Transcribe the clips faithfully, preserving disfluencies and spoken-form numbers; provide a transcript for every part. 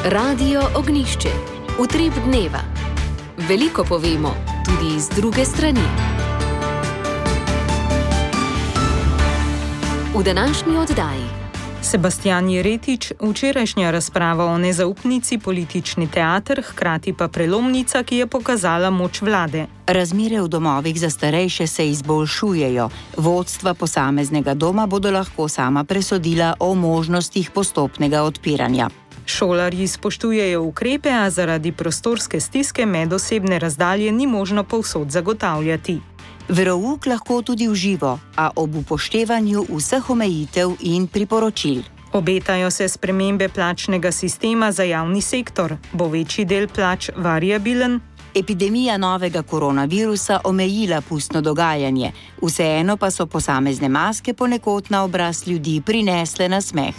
Radio Ognjišče. Utrip dneva. Veliko povemo, tudi z druge strani. V današnji oddaji. Sebastian Jeretič, včerajšnja razprava o nezaupnici, politični teater, hkrati pa prelomnica, ki je pokazala moč vlade. Razmere v domovih za starejše se izboljšujejo. Vodstva posameznega doma bodo lahko sama presodila o možnostih postopnega odpiranja. Šolarji spoštujejo ukrepe, a zaradi prostorske stiske medosebne razdalje ni možno povsod zagotavljati. Verouk lahko tudi v živo, a ob upoštevanju vseh omejitev in priporočil. Obetajo se spremembe plačnega sistema za javni sektor. Bo večji del plač variabilen? Epidemija novega koronavirusa omejila pustno dogajanje. Vseeno pa so posamezne maske ponekod na obraz ljudi prinesle nasmeh.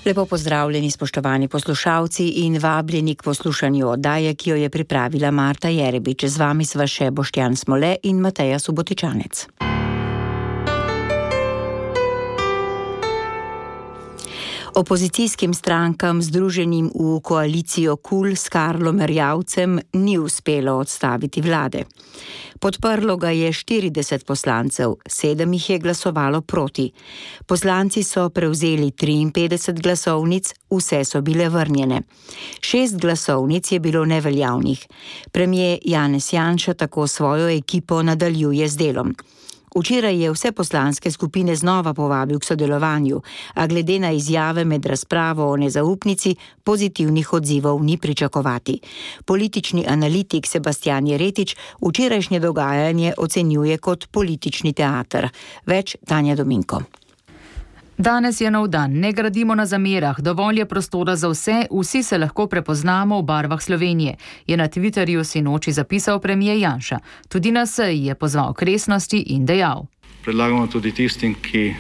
Lepo pozdravljeni, spoštovani poslušalci, in vabljeni k poslušanju oddaje, ki jo je pripravila Marta Jerebič. Z vami sva še Boštjan Smole in Mateja Subotičanec. Opozicijskim strankam, združenim v koalicijo KUL s Karlom Erjavcem, ni uspelo odstaviti vlade. Podprlo ga je štirideset poslancev, sedem jih je glasovalo proti. Poslanci so prevzeli triinpetdeset glasovnic, vse so bile vrnjene. Šest glasovnic je bilo neveljavnih. Premier Janez Janša tako svojo ekipo nadaljuje z delom. Včeraj je vse poslanske skupine znova povabil k sodelovanju, a glede na izjave med razpravo o nezaupnici pozitivnih odzivov ni pričakovati. Politični analitik Sebastian Jeretič včerajšnje dogajanje ocenjuje kot politični teater. Več Tanja Dominko. Danes je nov dan, ne gradimo na zamerah, dovolj je prostora za vse, vsi se lahko prepoznamo v barvah Slovenije, je na Twitterju sinoči zapisal premier Janša. Tudi na seji je pozval k resnosti in dejal. Predlagamo tudi tistim, ki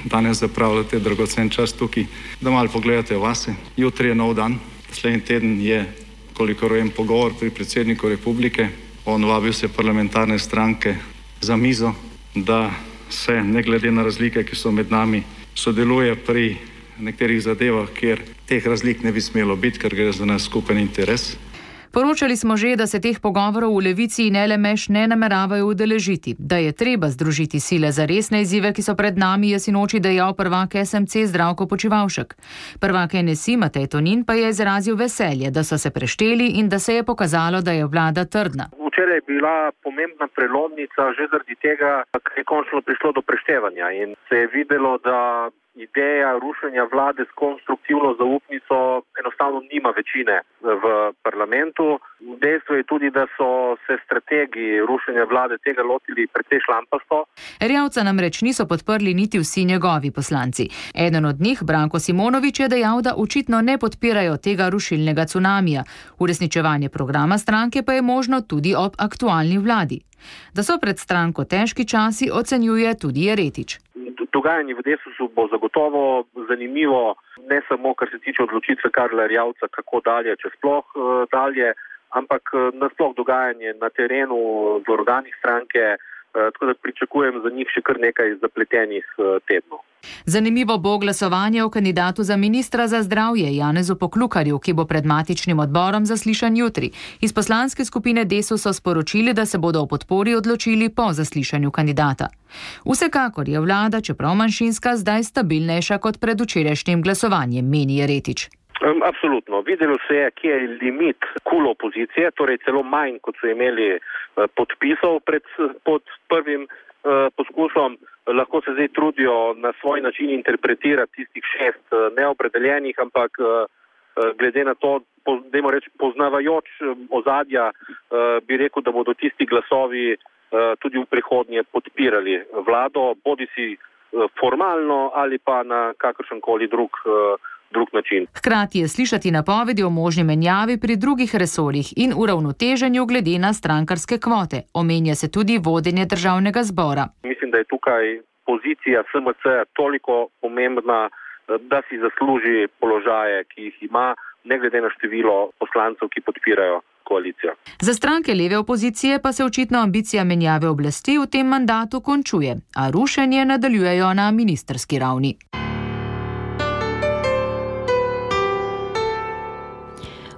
danes zapravljate dragocen čas tukaj, da malo pogledate vase. Jutri je nov dan, naslednji teden je, kolikor vem, pogovor pri predsedniku republike. On vabil se parlamentarne stranke za mizo, da se ne glede na razlike, ki so med nami, sodeluje pri nekaterih zadevah, kjer teh razlik ne bi smelo biti, ker gre za nas skupen interes. Poročali smo že, da se teh pogovorov v Levici in L M Š ne nameravajo udeležiti, da je treba združiti sile za resne izzive, ki so pred nami, je sinoči dejal prvak S M C Zdravko Počivalšek. Prvak N S I Matej Tonin pa je izrazil veselje, da so se prešteli in da se je pokazalo, da je vlada trdna. Včeraj je bila pomembna prelomnica že zaradi tega, ker je končno prišlo do preštevanja in se je videlo, da ideja rušenja vlade s konstruktivno zaupnico enostavno nima večine v parlamentu. Dejstvo je tudi, da so se strategi rušenja vlade tega lotili precej šlampasto. Erjavca namreč niso podprli niti vsi njegovi poslanci. Eden od njih, Branko Simonovič, je dejal, da očitno ne podpirajo tega rušilnega cunamija. Uresničevanje programa stranke pa je možno tudi ob aktualni vladi. Da so pred stranko težki časi, ocenjuje tudi Jeretič. Dogajanje v Desusu bo zagotovo zanimivo, ne samo kar se tiče odločitve Karla Erjavca, kako dalje, če sploh dalje, ampak nasploh dogajanje na terenu v organih stranke, tako da pričakujem za njih še kar nekaj zapletenih tednov. Zanimivo bo glasovanje o kandidatu za ministra za zdravje Janezu Poklukarju, ki bo pred matičnim odborom zaslišan jutri. Iz poslanske skupine Desus so sporočili, da se bodo o podpori odločili po zaslišanju kandidata. Vsekakor je vlada, čeprav manjšinska, zdaj stabilnejša kot pred včerajšnjim glasovanjem, meni Jeretič. Absolutno. Videlo se je, kje je limit KUL opozicije, torej celo manj, kot so imeli podpisov pred, pod prvim poskusom. Lahko se zdaj trudijo na svoj način interpretirati tistih šest neopredeljenih, ampak glede na to, dajmo reči, poznavajoč ozadja, bi rekel, da bodo tisti glasovi tudi v prihodnje podpirali vlado, bodisi formalno ali pa na kakršenkoli drug drug način. Hkrati je slišati napovedi o možni menjavi pri drugih resorjih in uravnoteženju glede na strankarske kvote. Omenja se tudi vodenje državnega zbora. Mislim, da je tukaj pozicija S M C toliko pomembna, da si zasluži položaje, ki jih ima, ne glede na število poslancev, ki podpirajo koalicijo. Za stranke leve opozicije pa se očitno ambicija menjave oblasti v tem mandatu končuje, a rušenje nadaljujejo na ministrski ravni.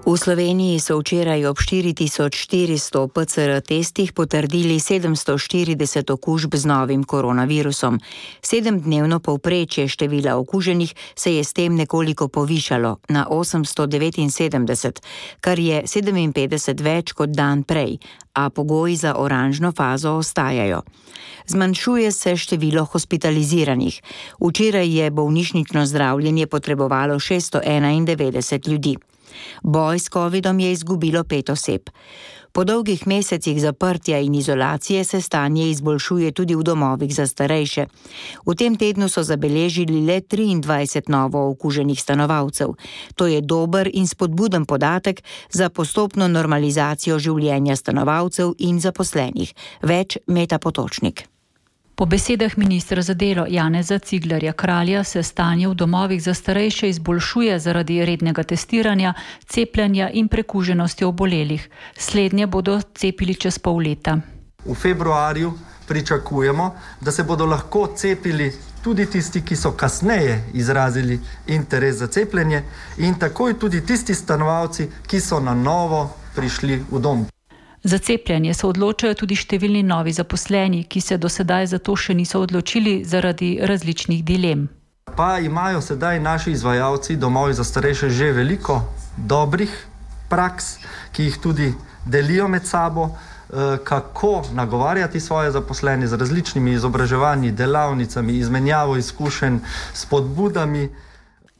V Sloveniji so včeraj ob štiri tisoč štiristo P C R testih potrdili sedemsto štirideset okužb z novim koronavirusom. Sedemdnevno povprečje števila okuženih se je s tem nekoliko povišalo na osemsto devetinsedemdeset, kar je sedeminpetdeset več kot dan prej, a pogoji za oranžno fazo ostajajo. Zmanjšuje se število hospitaliziranih. Včeraj je bolnišnično zdravljenje potrebovalo šeststo enaindevetdeset ljudi. Boj s covidom je izgubilo pet oseb. Po dolgih mesecih zaprtja in izolacije se stanje izboljšuje tudi v domovih za starejše. V tem tednu so zabeležili le triindvajset novo okuženih stanovalcev. To je dober in spodbuden podatek za postopno normalizacijo življenja stanovalcev in zaposlenih. Več Meta Potočnik. Po besedah ministra za delo Janeza Ciglerja Kralja se stanje v domovih za starejše izboljšuje zaradi rednega testiranja, cepljenja in prekuženosti obolelih. Slednje bodo cepili čez pol leta. V februarju pričakujemo, da se bodo lahko cepili tudi tisti, ki so kasneje izrazili interes za cepljenje, in takoj tudi tisti stanovalci, ki so na novo prišli v dom. Za cepljenje se odločajo tudi številni novi zaposleni, ki se do sedaj za to še niso odločili zaradi različnih dilem. Pa imajo sedaj naši izvajalci domovi za starejše že veliko dobrih praks, ki jih tudi delijo med sabo, kako nagovarjati svoje zaposlene z različnimi izobraževanji, delavnicami, izmenjavo izkušenj, spodbudami.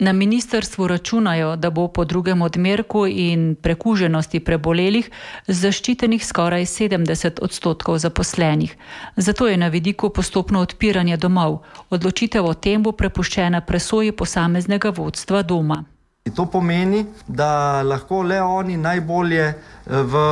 Na ministrstvu računajo, da bo po drugem odmerku in prekuženosti prebolelih zaščitenih skoraj sedemdeset odstotkov zaposlenih. Zato je na vidiku postopno odpiranje domov. Odločitev o tem bo prepuščena presoji posameznega vodstva doma. To pomeni, da lahko le oni najbolje v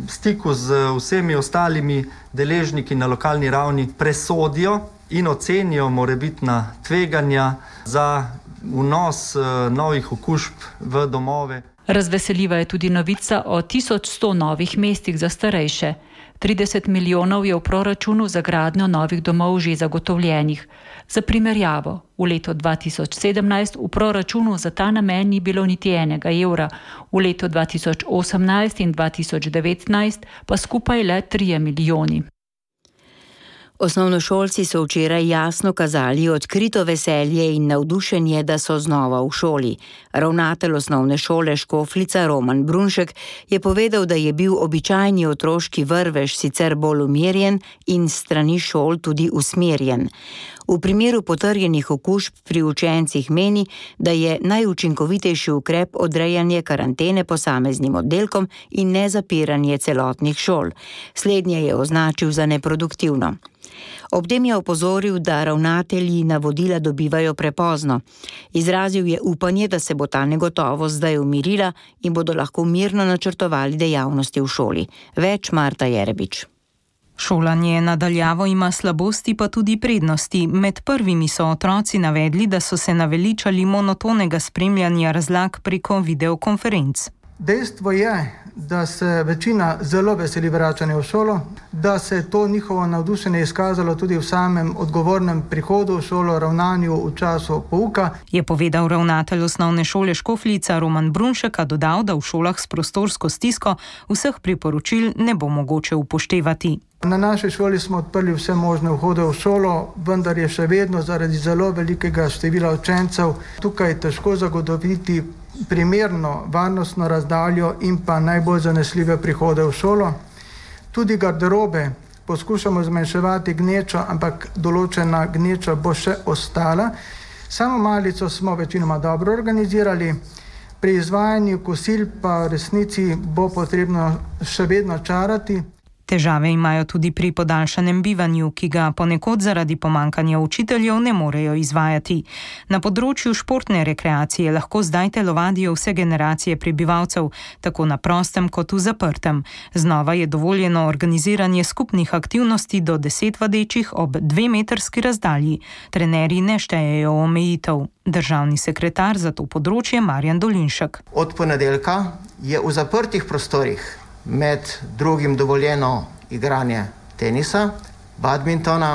stiku z vsemi ostalimi deležniki na lokalni ravni presodijo in ocenijo morebitna tveganja za vnos novih okužb v domove. Razveseljiva je tudi novica o tisoč sto novih mestih za starejše. trideset milijonov je v proračunu za gradnjo novih domov že zagotovljenih. Za primerjavo, v letu dva tisoč sedemnajst v proračunu za ta namen ni bilo niti enega evra, v letu dva tisoč osemnajst in dva tisoč devetnajst pa skupaj le trije milijoni. Osnovnošolci so včeraj jasno kazali odkrito veselje in navdušenje, da so znova v šoli. Ravnatelj osnovne šole Škofljica Roman Brunšek je povedal, da je bil običajni otroški vrvež sicer bolj umirjen in s strani šol tudi usmerjen. V primeru potrjenih okužb pri učencih meni, da je najučinkovitejši ukrep odrejanje karantene posameznim oddelkom in ne zapiranje celotnih šol. Slednje je označil za neproduktivno. Ob tem je opozoril, da ravnatelji navodila dobivajo prepozno. Izrazil je upanje, da se bo ta negotovost zdaj umirila in bodo lahko mirno načrtovali dejavnosti v šoli. Več Marta Jerebič. Šolanje nadaljavo ima slabosti pa tudi prednosti. Med prvimi so otroci navedli, da so se naveličali monotonega spremljanja razlag preko videokonferenc. Dejstvo je, da se večina zelo veseli vračanja v šolo, da se to njihovo navdušenje izkazalo tudi v samem odgovornem prihodu v šolo, ravnanju v času pouka. Je povedal ravnatelj osnovne šole Škofljica Roman Brunšek, a dodal, da v šolah s prostorsko stisko vseh priporočil ne bo mogoče upoštevati. Na naši šoli smo odprli vse možne vhode v šolo, vendar je še vedno zaradi zelo velikega števila učencev tukaj težko zagotoviti primerno varnostno razdaljo in pa najbolj zanesljive prihode v šolo. Tudi garderobe poskušamo zmanjševati gnečo, ampak določena gneča bo še ostala. Samo malico smo večinoma dobro organizirali, pri izvajanju kosil pa v resnici bo potrebno še vedno čarati. Težave imajo tudi pri podaljšanem bivanju, ki ga ponekod zaradi pomankanja učiteljev ne morejo izvajati. Na področju športne rekreacije lahko zdaj telovadijo vse generacije prebivalcev, tako na prostem kot v zaprtem. Znova je dovoljeno organiziranje skupnih aktivnosti do deset vadečih ob dvemetrski razdalji. Trenerji ne štejejo omejitev. Državni sekretar za to področje Marjan Dolinšek. Od ponedeljka je v zaprtih prostorih med drugim dovoljeno igranje tenisa, badmintona,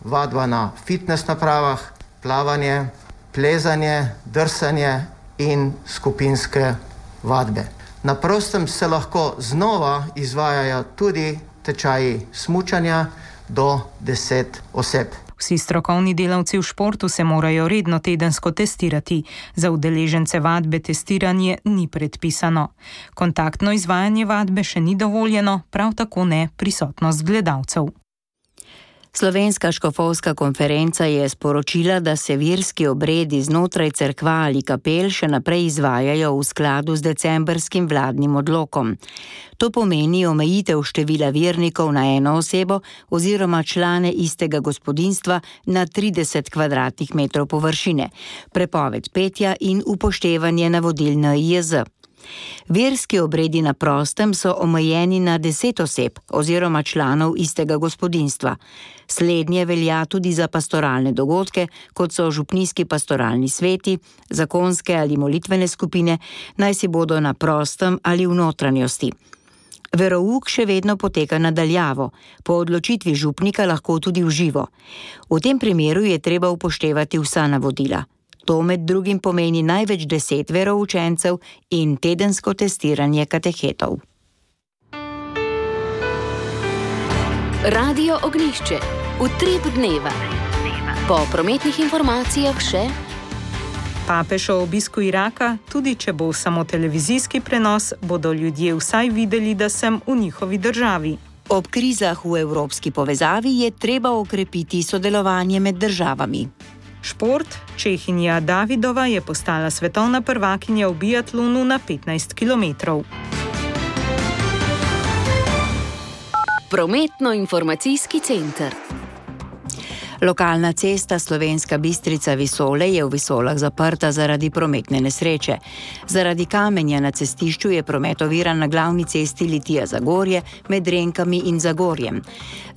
vadba na fitness napravah, plavanje, plezanje, drsanje in skupinske vadbe. Na prostem se lahko znova izvajajo tudi tečaji smučanja do deset oseb. Vsi strokovni delavci v športu se morajo redno tedensko testirati. Za udeležence vadbe testiranje ni predpisano. Kontaktno izvajanje vadbe še ni dovoljeno, prav tako ne prisotnost gledalcev. Slovenska škofovska konferenca je sporočila, da se verski obredi znotraj cerkva ali kapel še naprej izvajajo v skladu z decembrskim vladnim odlokom. To pomeni omejitev števila vernikov na eno osebo oziroma člane istega gospodinjstva na trideset kvadratnih metrov površine, prepoved petja in upoštevanje navodil N I J Z. Verski obredi na prostem so omejeni na deset oseb oziroma članov istega gospodinjstva. Slednje velja tudi za pastoralne dogodke, kot so župnijski pastoralni sveti, zakonske ali molitvene skupine, naj si bodo na prostem ali v notranjosti. Verouk še vedno poteka nadaljavo, po odločitvi župnika lahko tudi v živo. V tem primeru je treba upoštevati vsa navodila. To med drugim pomeni največ deset veroučencev in tedensko testiranje katechetov. Radio Ognjišče. Utrip dneva. Po prometnih informacijah še Papež o obisku Iraka, tudi če bo samo televizijski prenos, bodo ljudje vsaj videli, da sem v njihovi državi. Ob krizah v evropski povezavi je treba okrepiti sodelovanje med državami. Šport. Čehinja Davidova je postala svetovna prvakinja v biatlonu na petnajst kilometrov. Prometno-informacijski center. Lokalna cesta Slovenska Bistrica-Visole je v Visolah zaprta zaradi prometne nesreče. Zaradi kamenja na cestišču je promet oviran na glavni cesti Litija-Zagorje med Renkami in Zagorjem.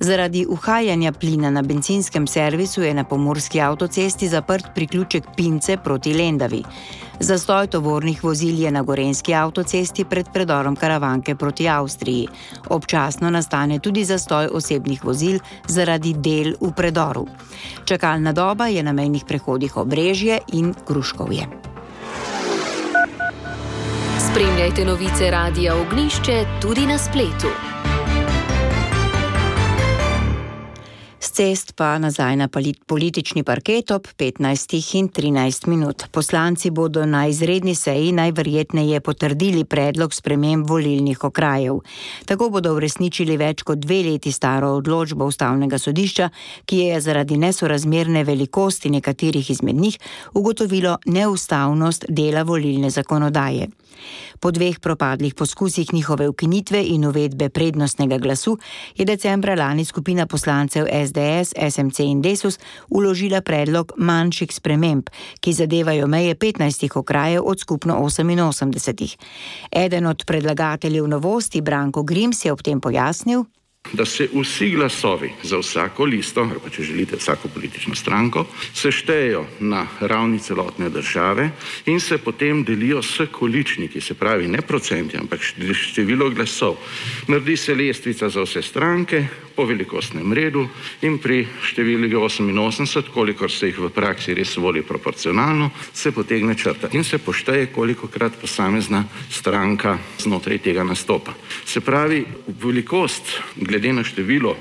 Zaradi uhajanja plina na bencinskem servisu je na pomurski avtocesti zaprt priključek Pince proti Lendavi. Zastoj tovornih vozil je na gorenjski avtocesti pred predorom Karavanke proti Avstriji. Občasno nastane tudi zastoj osebnih vozil zaradi del v predoru. Čakalna doba je na mejnih prehodih Obrežje in Gruškovje. Spremljajte novice Radia Ognjišče tudi na spletu. S cest pa nazaj na politični parket ob petnajstih in trinajst minut. Poslanci bodo na izredni seji najverjetneje potrdili predlog sprememb volilnih okrajev. Tako bodo uresničili več kot dve leti staro odločbo Ustavnega sodišča, ki je zaradi nesorazmerne velikosti nekaterih izmed njih ugotovilo neustavnost dela volilne zakonodaje. Po dveh propadlih poskusih njihove ukinitve in uvedbe prednostnega glasu je decembra lani skupina poslancev S D S, S M C in Desus vložila predlog manjših sprememb, ki zadevajo meje petnajstih okrajev od skupno oseminosemdesetih. Eden od predlagateljev novosti, Branko Grims, je ob tem pojasnil, da se vsi glasovi za vsako listo, ali pa če želite vsako politično stranko, seštejejo na ravni celotne države in se potem delijo s količniki, se pravi ne procenti, ampak število glasov. Naredi se lestvica za vse stranke po velikostnem redu in pri številki oseminosemdeset, kolikor se jih v praksi res voli proporcionalno, se potegne črta in se pošteje, kolikokrat posamezna stranka znotraj tega nastopa. Se pravi, velikost glede na število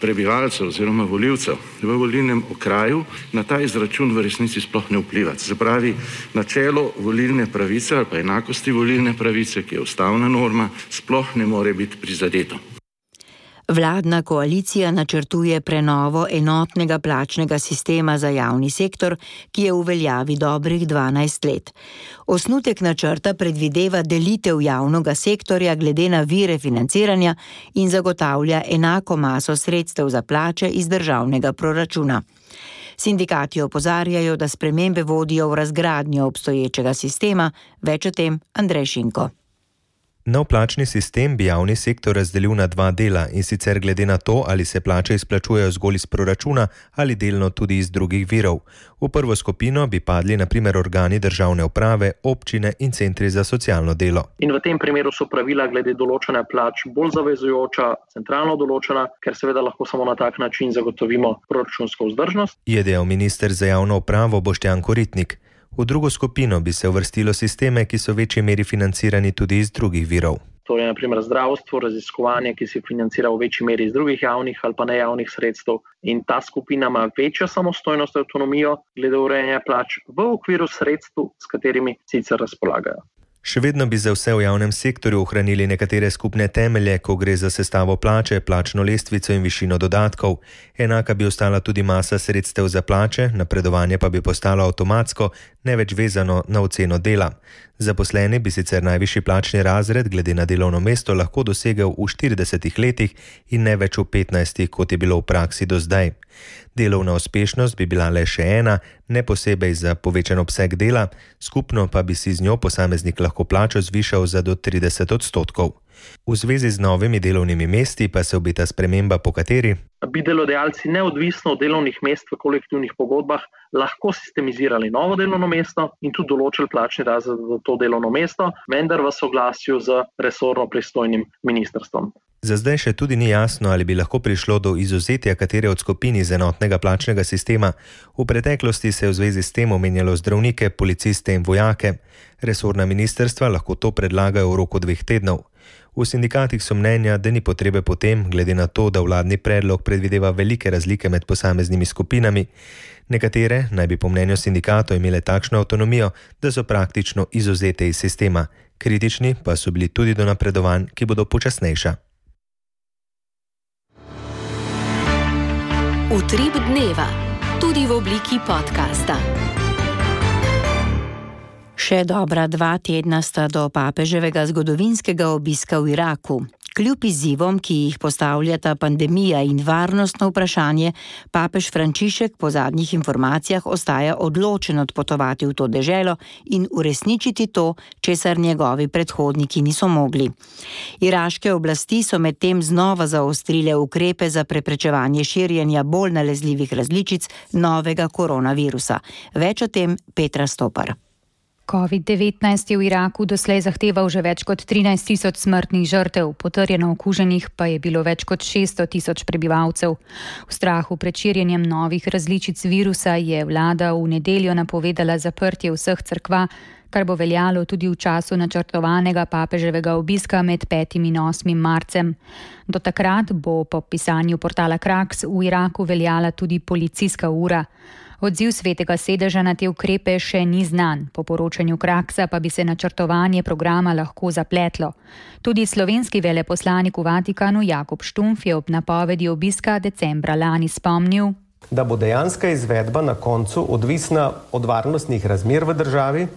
prebivalcev oziroma volivcev v volilnem okraju na ta izračun v resnici sploh ne vpliva. Se pravi, načelo volilne pravice ali pa enakosti volilne pravice, ki je ustavna norma, sploh ne more biti prizadeto. Vladna koalicija načrtuje prenovo enotnega plačnega sistema za javni sektor, ki je v veljavi dobrih dvanajst let. Osnutek načrta predvideva delitev javnega sektorja glede na vire financiranja in zagotavlja enako maso sredstev za plače iz državnega proračuna. Sindikati opozarjajo, da spremembe vodijo v razgradnjo obstoječega sistema, več o tem Andrej Šinko. Nov plačni sistem bi javni sektor razdelil na dva dela, in sicer glede na to, ali se plače izplačujejo zgolj iz proračuna ali delno tudi iz drugih virov. V prvo skupino bi padli na primer organi državne uprave, občine in centri za socialno delo. In v tem primeru so pravila glede določanja plač bolj zavezujoča, centralno določena, ker seveda lahko samo na tak način zagotovimo proračunsko vzdržnost. Je dejal minister za javno upravo Boštjan Koritnik. V drugo skupino bi se uvrstilo sisteme, ki so v večji meri financirani tudi iz drugih virov. To je naprimer zdravstvo, raziskovanje, ki se financira v večji meri iz drugih javnih ali pa nejavnih sredstev. In ta skupina ima večjo samostojnost in avtonomijo glede urejanja plač v okviru sredstev, s katerimi sicer razpolagajo. Še vedno bi za vse v javnem sektorju ohranili nekatere skupne temelje, ko gre za sestavo plače, plačno lestvico in višino dodatkov. Enaka bi ostala tudi masa sredstev za plače, napredovanje pa bi postalo avtomatsko, ne več vezano na oceno dela. Zaposleni bi sicer najvišji plačni razred glede na delovno mesto lahko dosegel v štiridesetih letih in ne več v petnajstih, kot je bilo v praksi do zdaj. Delovna uspešnost bi bila le še ena, ne posebej za povečan obseg dela, skupno pa bi si z njo posameznik lahko plačo zvišal za do trideset odstotkov. V zvezi z novimi delovnimi mesti pa se obeta sprememba, po kateri bi delodajalci neodvisno od delovnih mest v kolektivnih pogodbah lahko sistemizirali novo delovno mesto in tudi določili plačni razred za to delovno mesto, vendar v soglasju z resorno pristojnim ministrstvom. Za zdaj še tudi ni jasno, ali bi lahko prišlo do izuzetja katere od skupin iz enotnega plačnega sistema. V preteklosti se je v zvezi s tem omenjalo zdravnike, policiste in vojake. Resorna ministrstva lahko to predlagajo v roku dveh tednov. V sindikatih so mnenja, da ni potrebe potem, glede na to, da vladni predlog predvideva velike razlike med posameznimi skupinami. Nekatere naj bi po mnenju sindikatov imele takšno avtonomijo, da so praktično izuzete iz sistema. Kritični pa so bili tudi do napredovanj, ki bodo počasnejša. Utrip dneva, tudi v obliki podcasta. Še dobra dva tedna sta do papeževega zgodovinskega obiska v Iraku. Kljub izzivom, ki jih postavljata pandemija in varnostno vprašanje, papež Frančišek po zadnjih informacijah ostaja odločen odpotovati v to deželo in uresničiti to, česar njegovi predhodniki niso mogli. Iraške oblasti so medtem znova zaostrile ukrepe za preprečevanje širjenja bolj nalezljivih različic novega koronavirusa. Več o tem Petra Stopar. covid devetnajst je v Iraku doslej zahteval že več kot trinajst tisoč smrtnih žrtev, potrjeno okuženih pa je bilo več kot šeststo tisoč prebivalcev. V strahu pred širjenjem novih različic virusa je vlada v nedeljo napovedala zaprtje vseh cerkva, kar bo veljalo tudi v času načrtovanega papeževega obiska med petim in osmim marcem. Do takrat bo po pisanju portala Kraks v Iraku veljala tudi policijska ura. Odziv svetega sedeža na te ukrepe še ni znan, po poročanju Kraksa pa bi se načrtovanje programa lahko zapletlo. Tudi slovenski veleposlanik v Vatikanu Jakob Štumf je ob napovedi obiska decembra lani spomnil, da bo dejanska izvedba na koncu odvisna od varnostnih razmer v državi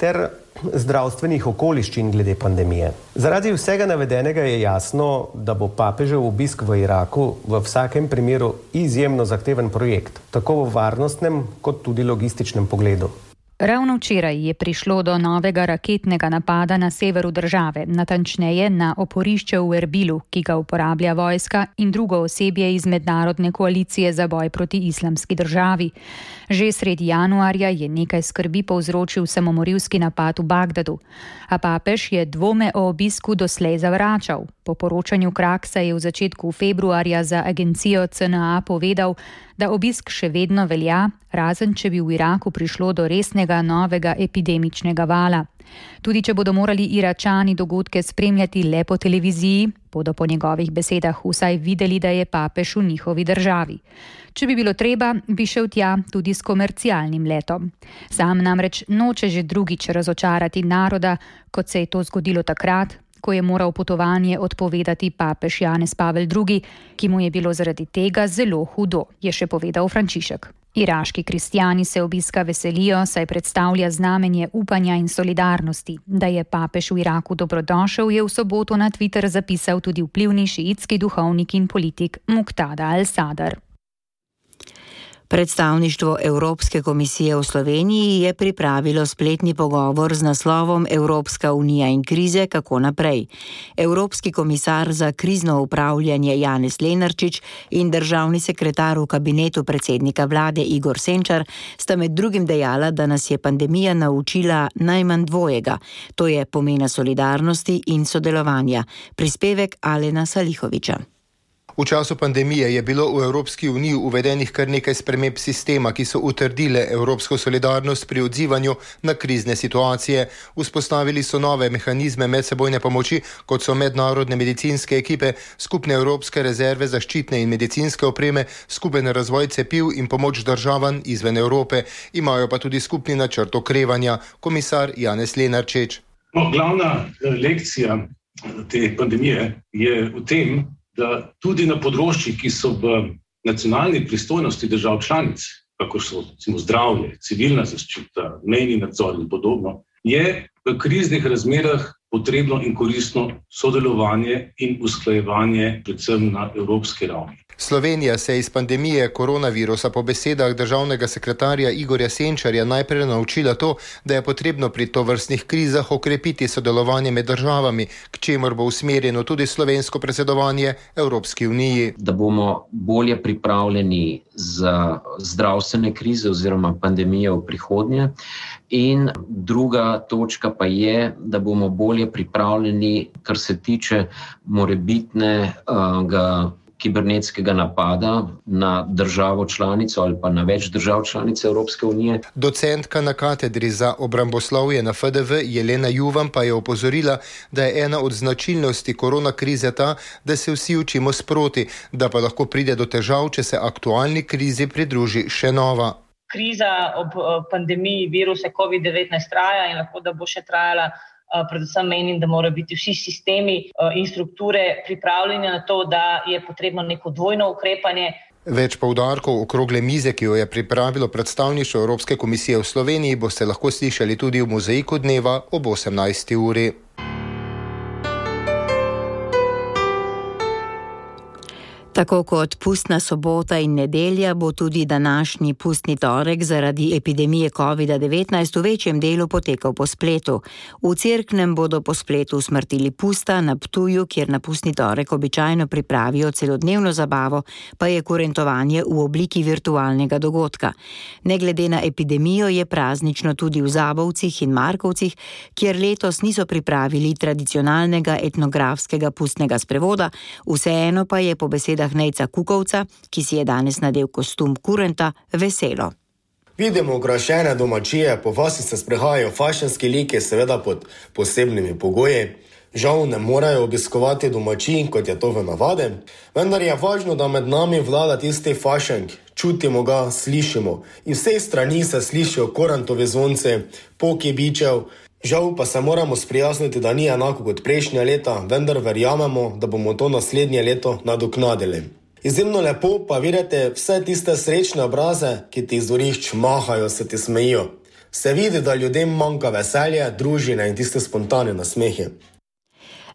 ter zdravstvenih okoliščin glede pandemije. Zaradi vsega navedenega je jasno, da bo papežev obisk v Iraku v vsakem primeru izjemno zahteven projekt, tako v varnostnem kot tudi logističnem pogledu. Ravno včeraj je prišlo do novega raketnega napada na severu države, natančneje na oporišče v Erbilu, ki ga uporablja vojska in drugo osebje iz mednarodne koalicije za boj proti islamski državi. Že sredi januarja je nekaj skrbi povzročil samomorilski napad v Bagdadu, a papež je dvome o obisku doslej zavračal. Po poročanju Kraksa je v začetku februarja za agencijo C N A povedal, da obisk še vedno velja, razen če bi v Iraku prišlo do resnega novega epidemičnega vala. Tudi če bodo morali Iračani dogodke spremljati le po televiziji, bodo po njegovih besedah vsaj videli, da je papež v njihovi državi. Če bi bilo treba, bi šel tja tudi s komercialnim letom. Sam namreč noče že drugič razočarati naroda, kot se je to zgodilo takrat, ko je moral potovanje odpovedati papež Janez Pavel drugi, ki mu je bilo zaradi tega zelo hudo, je še povedal Frančišek. Iraški kristjani se obiska veselijo, saj predstavlja znamenje upanja in solidarnosti. Da je papež v Iraku dobrodošel, je v soboto na Twitter zapisal tudi vplivni šiitski duhovnik in politik Muqtada al-Sadr. Predstavništvo Evropske komisije v Sloveniji je pripravilo spletni pogovor z naslovom Evropska unija in krize, kako naprej. Evropski komisar za krizno upravljanje Janez Lenarčič in državni sekretar v kabinetu predsednika vlade Igor Senčar sta med drugim dejala, da nas je pandemija naučila najmanj dvojega, to je pomena solidarnosti in sodelovanja. Prispevek Alena Salihoviča. V času pandemije je bilo v Evropski uniji uvedenih kar nekaj sprememb sistema, ki so utrdile evropsko solidarnost pri odzivanju na krizne situacije. Vzpostavili so nove mehanizme medsebojne pomoči, kot so mednarodne medicinske ekipe, skupne evropske rezerve zaščitne in medicinske opreme, skupen razvoj cepiv in pomoč državam izven Evrope. Imajo pa tudi skupni načrt okrevanja. Komisar Janez Lenarčič. No, glavna lekcija te pandemije je v tem, da tudi na področjih, ki so v nacionalni pristojnosti držav članic, kako so recimo zdravje, civilna zaščita, mejni nadzor in podobno, je v kriznih razmerah potrebno in koristno sodelovanje in usklajevanje predvsem na evropski ravni. Slovenija se je iz pandemije koronavirusa po besedah državnega sekretarja Igorja Senčarja najprej naučila to, da je potrebno pri tovrstnih krizah okrepiti sodelovanje med državami, k čemur bo usmerjeno tudi slovensko predsedovanje Evropski uniji. Da bomo bolje pripravljeni za zdravstvene krize oziroma pandemije v prihodnje. In druga točka pa je, da bomo bolje pripravljeni, kar se tiče morebitnega kibernetskega napada na državo članico ali pa na več držav članice Evropske unije. Docentka na katedri za obramboslovje na F D V Jelena Juvan pa je opozorila, da je ena od značilnosti korona krize ta, da se vsi učimo sproti, da pa lahko pride do težav, če se aktualni krizi pridruži še nova. Kriza ob pandemiji virusa covid devetnajst traja in lahko da bo še trajala. Predvsem menim, da morajo biti vsi sistemi in strukture pripravljeni na to, da je potrebno neko dvojno ukrepanje. Več poudarkov okrogle mize, ki jo je pripravilo predstavništvo Evropske komisije v Sloveniji, boste lahko slišali tudi v Mozaiku dneva ob osemnajsti uri. Tako kot pustna sobota in nedelja bo tudi današnji pustni torek zaradi epidemije covid devetnajst v večjem delu potekal po spletu. V Cerknem bodo po spletu usmrtili pusta, na Ptuju, kjer na pustni torek običajno pripravijo celodnevno zabavo, pa je kurentovanje v obliki virtualnega dogodka. Ne glede na epidemijo je praznično tudi v Zabovcih in Markovcih, kjer letos niso pripravili tradicionalnega etnografskega pustnega sprevoda, vseeno pa je po besedah Nejca Kukovca, ki si je danes nadel kostum kurenta, veselo. Vidimo okrašene domačije, po vasi se sprehajajo fašenski liki, seveda pod posebnimi pogoji. Žal ne morejo obiskovati domačij, kot je to v navadi, vendar je važno, da med nami vlada tisti fašenk. Čutimo ga, slišimo. In vsej strani se slišijo korantovi zvonci, poki bičev. Žal pa se moramo sprijazniti, da ni enako kot prejšnja leta, vendar verjamemo, da bomo to naslednje leto nadoknadili. Izjemno lepo pa vidite vse tiste srečne obraze, ki ti iz dvorišč mahajo, se ti smejijo. Se vidi, da ljudem manjka veselje, družine in tiste spontane nasmehe.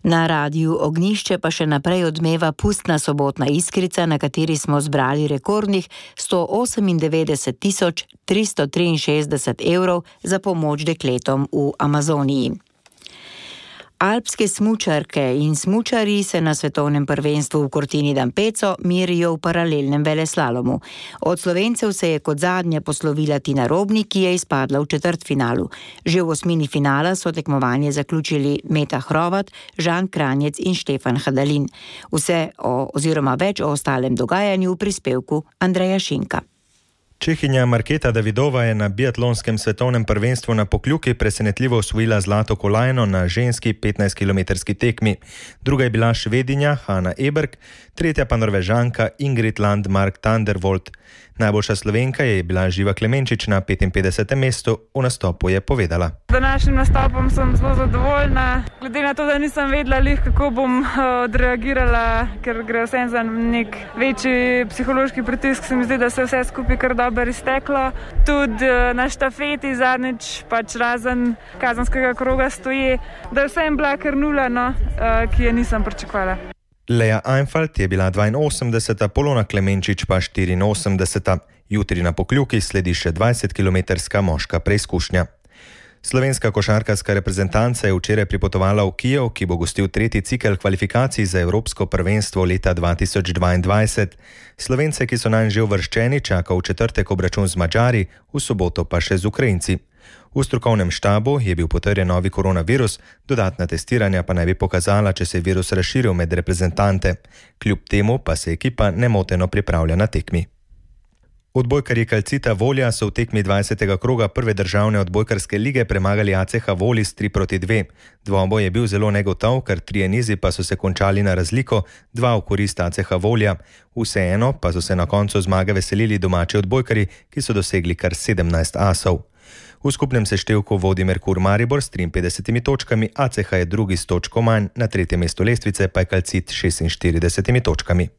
Na Radiu Ognjišče pa še naprej odmeva pustna sobotna iskrica, na kateri smo zbrali rekordnih sto osemindevetdeset tisoč tristo triinšestdeset evrov za pomoč dekletom v Amazoniji. Alpske smučarke in smučarji se na svetovnem prvenstvu v Cortina d'Ampezzo merijo v paralelnem veleslalomu. Od Slovencev se je kot zadnja poslovila Tina Robnik, ki je izpadla v četrtfinalu. Že v osmini finala so tekmovanje zaključili Meta Hrovat, Žan Kranjec in Štefan Hadalin. Vse o, oziroma več o ostalem dogajanju v prispevku Andreja Šinka. Čehinja Marketa Davidova je na biatlonskem svetovnem prvenstvu na Pokljuki presenetljivo osvojila zlato kolajno na ženski petnajstkilometrski tekmi. Druga je bila Švedinja Hanna Eberg, tretja pa Norvežanka Ingrid Landmark Thunderbolt. Najboljša Slovenka je bila Živa Klemenčič na petinpetdesetem mestu, v nastopu je povedala. Z današnjim nastopom sem zelo zadovoljna, glede na to, da nisem vedela, kako bom odreagirala, ker gre vsem za nek večji psihološki pritisk, se mi zdi, da se vse skupaj kar dobro izteklo. Tudi na štafeti zadnjič, pač razen kazanskega kroga stoji, da je vsem bila kar nula, no, ki je nisem pričakovala. Lea Einfalt je bila dvainosemdeseta, Polona Klemenčič pa štiriinosemdeseta. Jutri na Pokljuki sledi še dvajsetkilometrska moška preizkušnja. Slovenska košarkarska reprezentanca je včeraj pripotovala v Kijev, ki bo gostil tretji cikel kvalifikacij za Evropsko prvenstvo leta dva tisoč dvaindvajset. Slovence, ki so nanj že uvrščeni, čaka v četrtek obračun z Madžari, v soboto pa še z Ukrajinci. V strokovnem štabu je bil potrjen novi koronavirus, dodatna testiranja pa naj bi pokazala, če se je virus razširil med reprezentante. Kljub temu pa se ekipa nemoteno pripravlja na tekmi. Odbojkarji Calcita Volja so v tekmi dvajsetega kroga prve državne odbojkarske lige premagali A C H Volis tri proti dve. Dvoboj je bil zelo negotov, ker trije nizi pa so se končali na razliko, dva v korist A C H Volja. Vseeno pa so se na koncu zmage veselili domači odbojkarji, ki so dosegli kar sedemnajst asov. V skupnem seštevku vodi Merkur Maribor s triinpetdesetimi točkami, A C H je drugi s točko manj, na tretjem mestu lestvice pa je Calcit s šestinštiridesetimi točkami.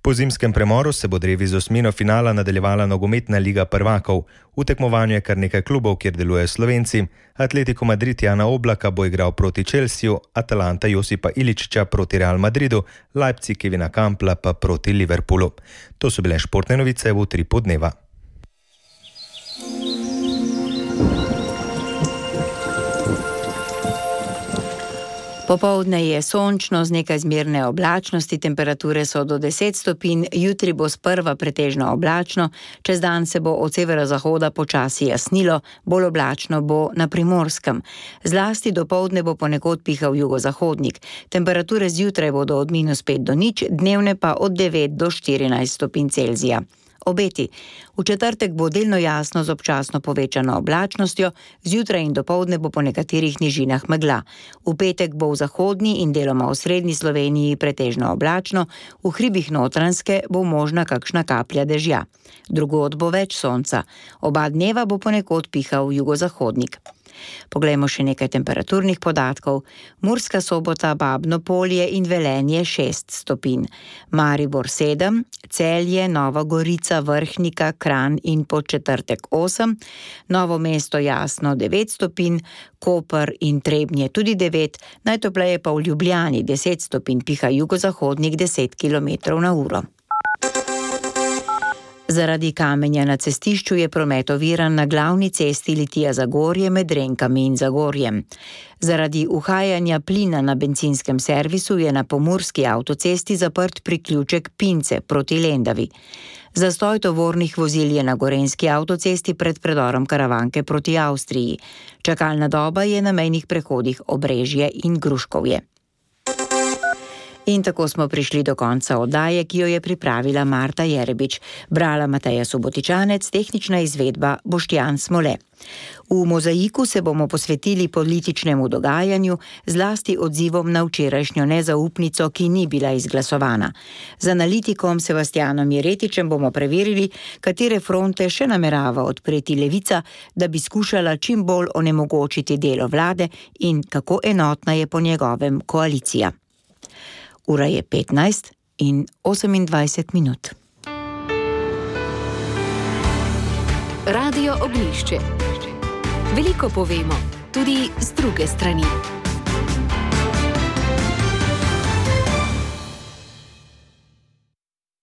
Po zimskem premoru se bo drevi z osmino finala nadaljevala nogometna liga prvakov. V tekmovanju je kar nekaj klubov, kjer delujejo Slovenci. Atletico Madrid Jana Oblaka bo igral proti Chelsea, Atalanta Josipa Iličića proti Real Madridu, Leipzig Kevina Kampla pa proti Liverpoolu. To so bile športne novice v Utripu dneva. Popoldne je sončno z nekaj zmerne oblačnosti, temperature so do deset stopinj, jutri bo sprva pretežno oblačno, čez dan se bo od severozahoda počasi jasnilo, bolj oblačno bo na Primorskem. Zlasti dopoldne bo ponekod pihal jugozahodnik. Temperature zjutraj bodo od minus pet do nič, dnevne pa od devet do štirinajst stopinj Celzija. Obeti. V četrtek bo delno jasno z občasno povečano oblačnostjo, zjutraj in dopoldne bo po nekaterih nižinah megla. V petek bo v zahodni in deloma v srednji Sloveniji pretežno oblačno, v hribih Notranjske bo možna kakšna kaplja dežja. Drugod bo več sonca. Oba dneva bo ponekod pihal jugozahodnik. Poglejmo še nekaj temperaturnih podatkov. Murska Sobota, Babno Polje in Velenje šest stopinj. Maribor sedem, Celje, Nova Gorica, Vrhnika, Kranj in Podčetrtek osem, Novo mesto Jasno devet stopinj, Koper in Trebnje tudi devet, najtopleje pa v Ljubljani deset stopinj, piha jugozahodnik deset kilometrov na uro. Zaradi kamenja na cestišču je promet oviran na glavni cesti Litija-Zagorje med Renkami in Zagorjem. Zaradi uhajanja plina na bencinskem servisu je na pomurski avtocesti zaprt priključek Pince proti Lendavi. Zastoj tovornih vozil je na gorenjski avtocesti pred predorom Karavanke proti Avstriji. Čakalna doba je na mejnih prehodih Obrežje in Gruškovje. In tako smo prišli do konca oddaje, ki jo je pripravila Marta Jerebič. Brala Mateja Subotičanec, tehnična izvedba Boštjan Smole. V Mozaiku se bomo posvetili političnemu dogajanju, zlasti odzivom na včerajšnjo nezaupnico, ki ni bila izglasovana. Z analitikom Sebastianom Jeretičem bomo preverili, katere fronte še namerava odpreti Levica, da bi skušala čim bolj onemogočiti delo vlade in kako enotna je po njegovem koalicija. Ura je petnajst in osemindvajset minut. Radio Ognjišče. Veliko povemo, tudi z druge strani.